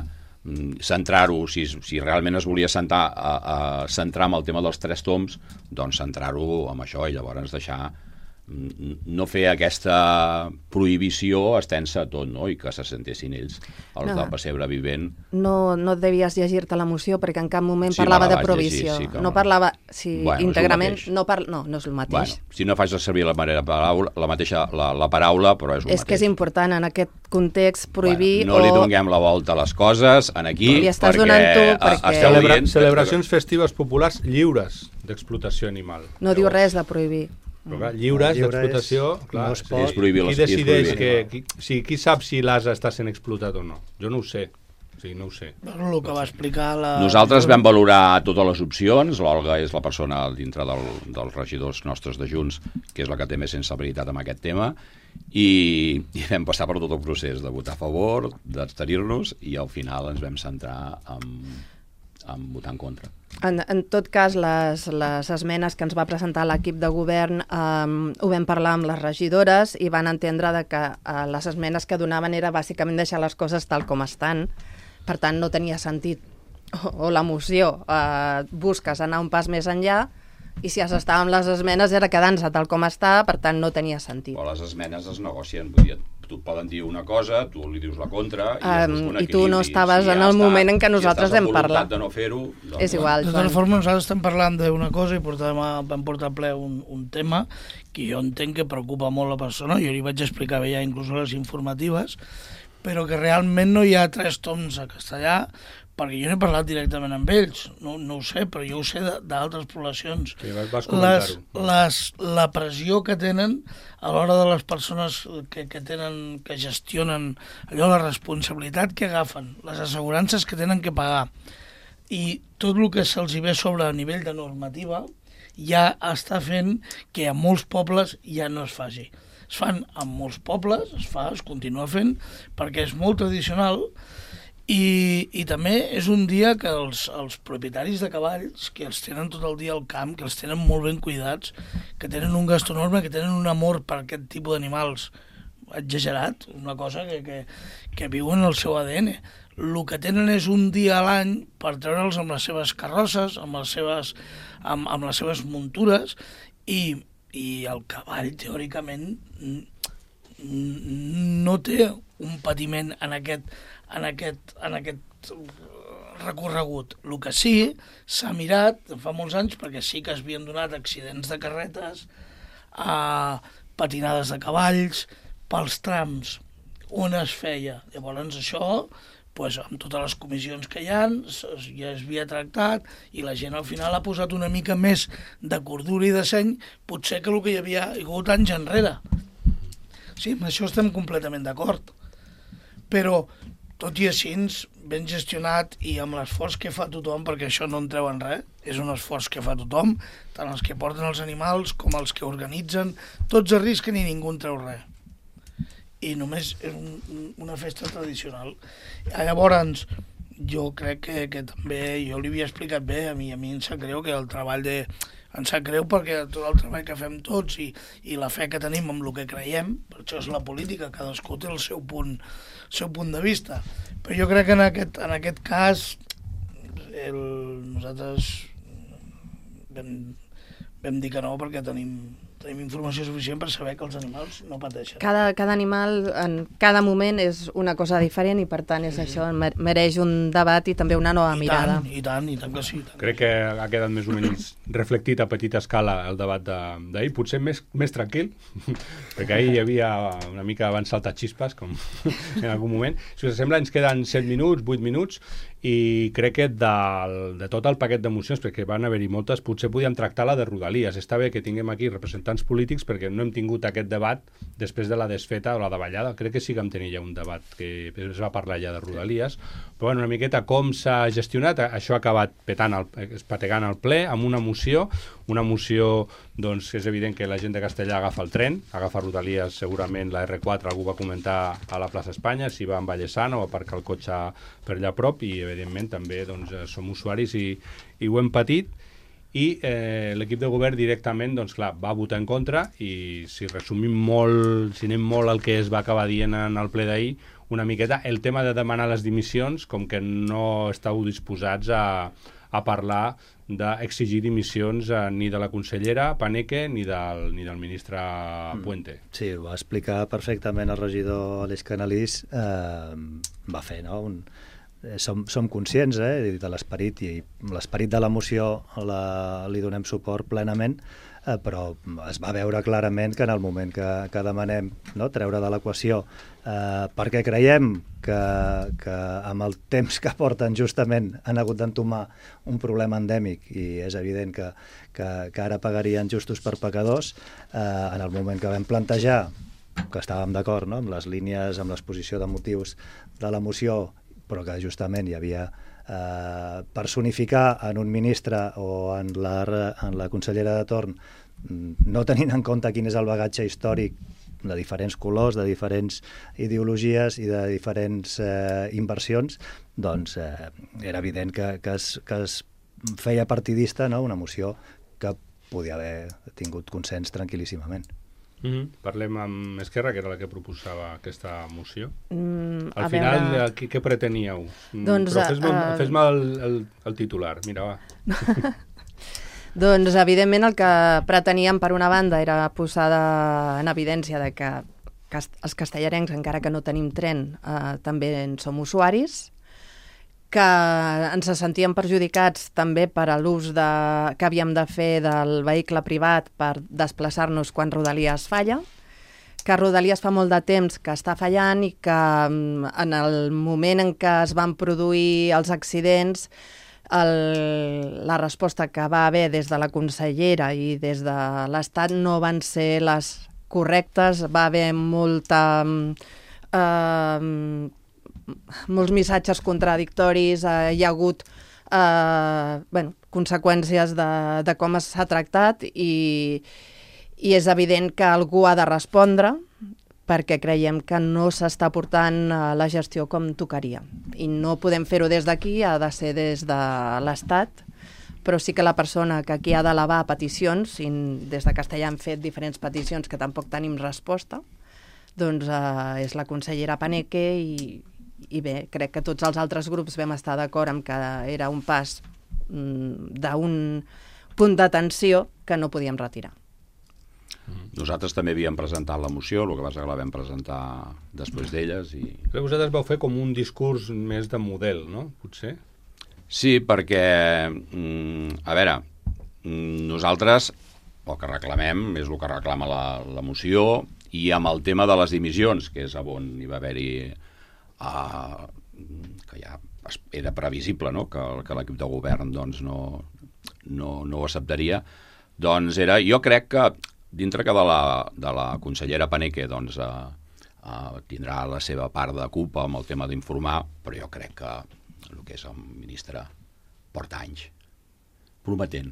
centrar-ho, si, si realment es volia centrar, a, a centrar amb el tema dels tres toms, doncs centrar-ho amb això, i llavors deixar, no fer aquesta prohibició extensa a tot, no? I que se sentessin ells, els no. del pessebre vivent.
No, no devies llegir-te la moció, perquè en cap moment sí, parlava de prohibició. Llegir, sí, no parlava, si bueno, íntegrament, no, par... no, no és el mateix. Bueno,
si no faig servir la, manera, paraula, la mateixa la, la paraula, però és el
és
mateix.
És que és important en aquest context prohibir...
Bueno, no
o...
li donem la volta a les coses en aquí,
li estàs
perquè...
donant tu, perquè...
Celebra, celebracions festives populars lliures d'explotació animal.
No diu res de prohibir.
Però clar, lliures
lliure
d'explotació, clar,
no es pot.
qui decideix que... Qui, sí, qui sap si l'ase està sent explotat o no? Jo no ho sé. Sí, no ho sé.
Bueno, el que va explicar la...
Nosaltres vam valorar totes les opcions. L'Olga és la persona dintre del, dels regidors nostres de Junts que és la que té més sensibilitat amb aquest tema, i, i vam passar per tot el procés de votar a favor, d'abstenir-nos, i al final ens vam centrar en, en votar en contra.
En, en tot cas, les, les esmenes que ens va presentar l'equip de govern eh, ho vam parlar amb les regidores i van entendre de que eh, les esmenes que donaven era bàsicament deixar les coses tal com estan. Per tant, no tenia sentit. O, o la moció, eh, busques anar un pas més enllà, i si has estat amb les esmenes era quedant-se tal com està, per tant no tenia sentit.
Però les esmenes es negocien, vull dir, tu et poden dir una cosa, tu li dius la contra, i,
um, i tu no estaves si en el està, moment en què nosaltres
si
hem parlat.
De no fer-ho, doncs,
és igual.
De tota forma, nosaltres estem parlant d'una cosa i portem a, vam portar a ple un, un tema que jo entenc que preocupa molt la persona, jo li vaig explicar bé ja inclús a les informatives, però que realment no hi ha tres toms a castellà, perquè jo no he parlat directament amb ells, no, no ho sé, però jo ho sé d'altres poblacions.
Sí, vas comentar-ho.
Les, les, la pressió que tenen a l'hora de les persones que, que tenen, que gestionen allò, la responsabilitat que agafen, les assegurances que tenen que pagar, i tot el que se'ls ve sobre a nivell de normativa ja està fent que a molts pobles ja no es faci. Es fan en molts pobles, es fa, es continua fent, perquè és molt tradicional, I, i també és un dia que els, els propietaris de cavalls, que els tenen tot el dia al camp, que els tenen molt ben cuidats, que tenen un gasto enorme, que tenen un amor per aquest tipus d'animals exagerat, una cosa que, que, que viuen el seu A D N. El que tenen és un dia a l'any per treure'ls amb les seves carrosses, amb les seves, amb, amb les seves muntures, i, i el cavall, teòricament, no té un patiment en aquest, en aquest, en aquest recorregut. El que sí, s'ha mirat fa molts anys, perquè sí que es havien donat accidents de carretes, a patinades de cavalls, pels trams on es feia. Llavors això, pues, amb totes les comissions que hi ha, ja es havia tractat i la gent al final ha posat una mica més de cordura i de seny, potser que el que hi havia hagut anys enrere. Sí, amb això estem completament d'acord. Però, tot i així, ben gestionat i amb l'esforç que fa tothom, perquè això no en treuen res, és un esforç que fa tothom, tant els que porten els animals com els que organitzen, tots arrisquen i ningú en treu res. I només és un, una festa tradicional. Llavors, jo crec que, que també, jo li havia explicat bé, a mi, a mi em sap greu que el treball de... Em sap greu perquè tot el treball que fem tots i, i la fe que tenim amb el que creiem, per això és la política, cadascú té el seu punt, seu punt de vista. Però jo crec que en aquest, en aquest cas el, nosaltres vam, vam dir que no perquè tenim, tenim informació suficient per saber que els animals no pateixen.
Cada, cada animal en cada moment és una cosa diferent i per tant és això, mereix un debat i també una nova
I
mirada.
Tant, i tant, i tant que sí. Tant.
Crec que ha quedat més o menys reflectit a petita escala el debat d'ahir, potser més, més tranquil, perquè ahir hi havia una mica abans saltaxispes, com en algun moment. Si us sembla, ens queden set minuts, vuit minuts, i crec que de, de tot el paquet d'emocions, perquè van haver-hi moltes, potser podíem tractar la de Rodalies. Està bé que tinguem aquí representants polítics perquè no hem tingut aquest debat després de la desfeta o la davallada. Crec que sí que vam tenir ja un debat que es va parlar ja de Rodalies, però bueno, una miqueta com s'ha gestionat, això ha acabat petant el, espategant el ple amb una moció, una moció doncs és evident que la gent de Castellà agafa el tren, agafa Rodalies, segurament la erre quatre, algú va comentar a la plaça Espanya, si va amb Vallesana o aparcar el cotxe per allà a prop, i evidentment també doncs, som usuaris i, i ho hem patit, i eh, l'equip de govern directament doncs, clar, va votar en contra, i si resumim molt, si anem molt al que es va acabar dient en el ple d'ahir, una miqueta, el tema de demanar les dimissions, com que no estàu disposats a, a parlar d'exigir dimissions eh, ni de la consellera Paneque ni del, ni del ministre Puente.
Sí, ho va explicar perfectament el regidor Aleix Canalís, eh, va fer, no?, un... Som, som conscients eh, de l'esperit, i l'esperit de la moció la, li donem suport plenament, eh, però es va veure clarament que en el moment que, que demanem, no, treure de l'equació eh, perquè creiem que, que amb el temps que porten justament han hagut d'entomar un problema endèmic i és evident que, que, que ara pagarien justos per pecadors, eh, en el moment que vam plantejar que estàvem d'acord, no, amb les línies, amb l'exposició de motius de la moció, però que justament hi havia eh, personificar en un ministre o en la, en la consellera de torn, no tenint en compte quin és el bagatge històric de diferents colors, de diferents ideologies i de diferents eh, inversions, doncs eh, era evident que, que, es, que es feia partidista, no?, una moció que podia haver tingut consens tranquil·líssimament.
Mm-hmm. Parlem amb Esquerra, que era la que proposava aquesta moció.
Mm,
Al final,
veure...
què, què preteníeu?
Doncs,
Però fes-me
uh...
fes el, el, el titular, mira, va.
Doncs, evidentment, el que preteníem, per una banda, era posar de, en evidència de que cast els castellarencs, encara que no tenim tren, eh, també en som usuaris, que ens sentíem perjudicats també per a l'ús que havíem de fer del vehicle privat per desplaçar-nos quan Rodalies falla, que Rodalies fa molt de temps que està fallant i que en el moment en què es van produir els accidents, el, la resposta que va haver des de la consellera i des de l'Estat no van ser les correctes, va haver molta... Eh, molts missatges contradictoris, eh, hi ha hagut eh, bueno, conseqüències de, de com s'ha tractat i, i és evident que algú ha de respondre perquè creiem que no s'està portant la gestió com tocaria. I no podem fer-ho des d'aquí, ha de ser des de l'Estat, però sí que la persona que aquí ha d'elevar peticions, i des de Castellà hem fet diferents peticions que tampoc tenim resposta, doncs eh, és la consellera Paneque i, i bé, crec que tots els altres grups vam estar d'acord amb que era un pas mm, d'un punt d'atenció que no podíem retirar.
Nosaltres també havíem presentat la moció, el que passa que la vam presentar després d'elles. I...
Però vosaltres vau fer com un discurs més de model, no? Potser?
Sí, perquè, mm, a veure, nosaltres el que reclamem és el que reclama la, la moció, i amb el tema de les dimissions, que és on hi va haver-hi, uh, que ja era previsible, no?, que, que l'equip de govern doncs, no, no, no ho acceptaria, doncs era, jo crec que dintre que de la, de la consellera Paneque doncs, uh, uh, tindrà la seva part de culpa amb el tema d'informar, però jo crec que el que és el ministre porta anys prometent,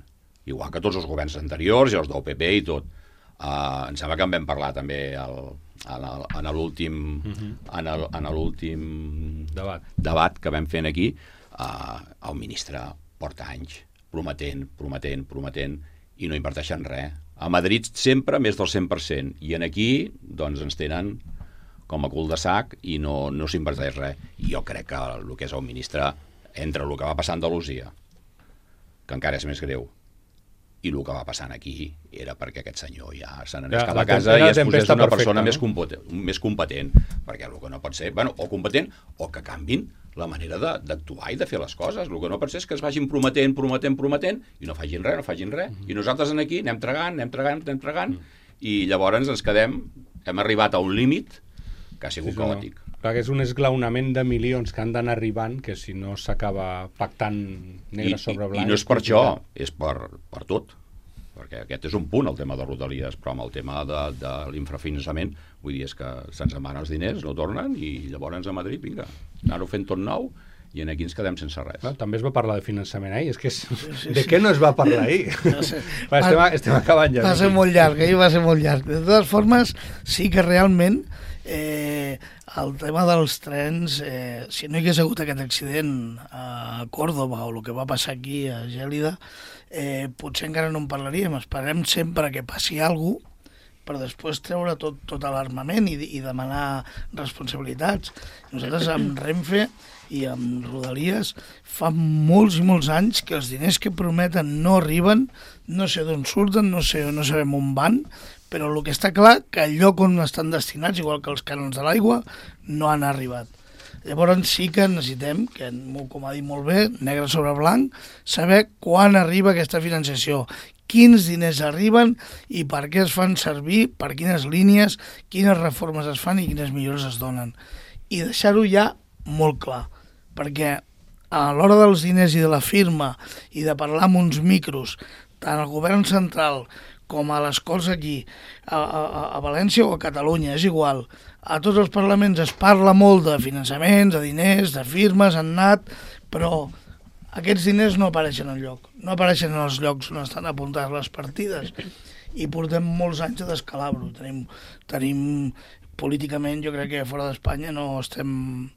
igual que tots els governs anteriors i els del P P i tot. Uh, em sembla que en vam parlar també el, en l'últim uh-huh. en, el, en l'últim
debat.
debat que vam fer aquí. Uh, el ministre porta anys prometent, prometent, prometent i no inverteixen res. A Madrid sempre més del cent per cent i en aquí doncs ens tenen com a cul de sac i no, no s'inverteix res. I jo crec que el que és el ministre, entre el que va passar a Andalusia, que encara és més greu, i el que va passant aquí era perquè aquest senyor ja se n'anés cap a casa i es posés una persona no? més, competent, més competent, perquè el que no pot ser, bueno, o competent o que canvin la manera d'actuar i de fer les coses. El que no pot ser és que es vagin prometent, prometent, prometent i no facin res, no facin res. Mm-hmm. I nosaltres aquí anem tragant, anem tragant, anem tragant mm-hmm. i llavors ens quedem, hem arribat a un límit que ha sigut sí, caòtic.
No. Clar, que és un esglaonament de milions que han d'anar arribant, que si no s'acaba pactant negre I, sobre blanc...
I no és per això, és per, per tot. Perquè aquest és un punt, el tema de Rodalies, però amb el tema de, de l'infrafinançament, vull dir, és que se'ns emanen els diners, no tornen, i llavors a Madrid, vinga, anar-ho fent tot nou, i aquí ens quedem sense res.
No, també es va parlar de finançament ahir, és que és... Sí, sí, de sí. què no es va parlar ahir? No sé. va, estem, va, estem acabant ja.
Va ser molt llarg, ahir va ser molt llarg. De totes formes, sí que realment eh, el tema dels trens, eh, si no hi hagués hagut aquest accident a Còrdova o el que va passar aquí a Gèlida, eh, potser encara no en parlaríem. Esperem sempre que passi alguna cosa per després treure tot, tot l'armament i, i demanar responsabilitats. Nosaltres amb Renfe i amb Rodalies fa molts i molts anys que els diners que prometen no arriben, no sé d'on surten, no sé, no sabem on van, però el que està clar que el lloc on estan destinats, igual que els cànons de l'aigua, no han arribat. Llavors sí que necessitem, que com ha dit molt bé, negre sobre blanc, saber quan arriba aquesta financiació, quins diners arriben i per què es fan servir, per quines línies, quines reformes es fan i quines millores es donen. I deixar-ho ja molt clar, perquè a l'hora dels diners i de la firma i de parlar amb uns micros, tant al govern central com a les Corts aquí, a, a, a València o a Catalunya, és igual, a tots els parlaments es parla molt de finançaments, de diners, de firmes, han anat, però aquests diners no apareixen enlloc, no apareixen en els llocs on estan apuntades les partides i portem molts anys de descalabro. Tenim, tenim políticament, jo crec que fora d'Espanya no estem,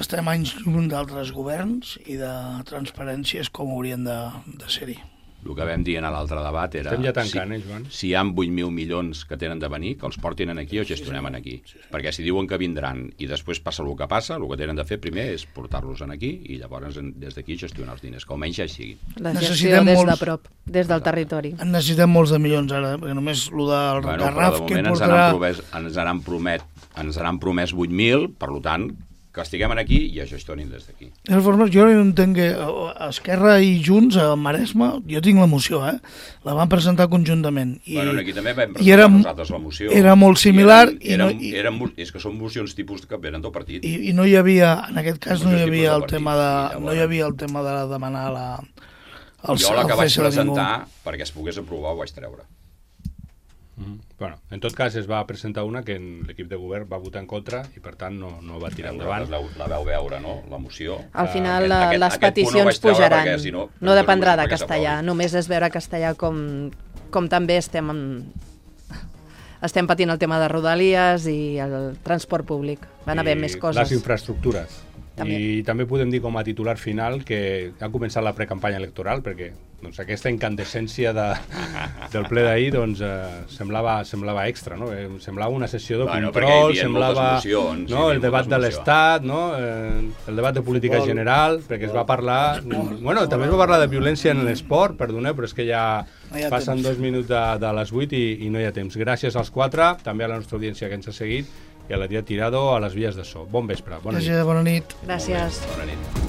estem anys lluny d'altres governs i de transparències com haurien de, de ser-hi.
El que vam dir en l'altre debat era...
Estem ja tancant,
si,
eh, Joan?
Si hi ha vuit mil milions que tenen de venir, que els portin aquí o gestionem aquí. Sí, sí. Perquè si diuen que vindran i després passa el que passa, el que tenen de fer primer és portar-los aquí i llavors des d'aquí gestionar els diners, que almenys ja sigui.
La gestió des molts... de prop, des del territori.
En necessitem molts de milions ara, perquè només el del
bueno,
Garraf
de
que
portarà... Ens han, promès, ens, han promet, ens han promès vuit mil, per tant... que estiguem aquí i ja gestionin des d'aquí.
De totes formes, jo no entenc que Esquerra i Junts a Maresme, jo tinc la moció, eh? La van presentar conjuntament. I,
bueno, aquí també vam presentar era, nosaltres la moció.
Era molt similar.
I eren, i no, eren, eren, és que són mocions tipus que venen del partit.
I, i no hi havia, en aquest cas no hi havia el tema de, no hi havia el tema de demanar la...
El, jo la que vaig presentar, perquè es pogués aprovar, ho vaig treure.
Mm-hmm. Bueno, en tot cas es va presentar una que l'equip de govern va votar en contra i per tant no, no va tirar endavant.
La, la veu veure, no? La moció.
Al final uh, aquest, les aquest peticions no pujaran, perquè, si no, no dependrà de castellà, només és veure castellà com, com també estem en, estem patint el tema de Rodalies i el transport públic. Van haver més coses.
Les infraestructures. També. I també podem dir com a titular final que ha començat la precampanya electoral, perquè doncs, aquesta incandescència de, del ple d'ahir doncs, eh, semblava, semblava extra, no? Eh, semblava una sessió de bueno, control, semblava mocions, no? el debat de l'Estat, no? eh, el debat de política Futbol. general, perquè es va parlar... Bueno, també es va parlar de violència en l'esport, perdoneu, però és que ja, ja passen temps. dos minuts de, de les vuit i, i no hi ha temps. Gràcies als quatre, també a la nostra audiència que ens ha seguit, i a la Tia Tirado a les vies de so. Bon vespre, bona nit.
Gràcies, bona nit.
Gràcies.
Bona nit.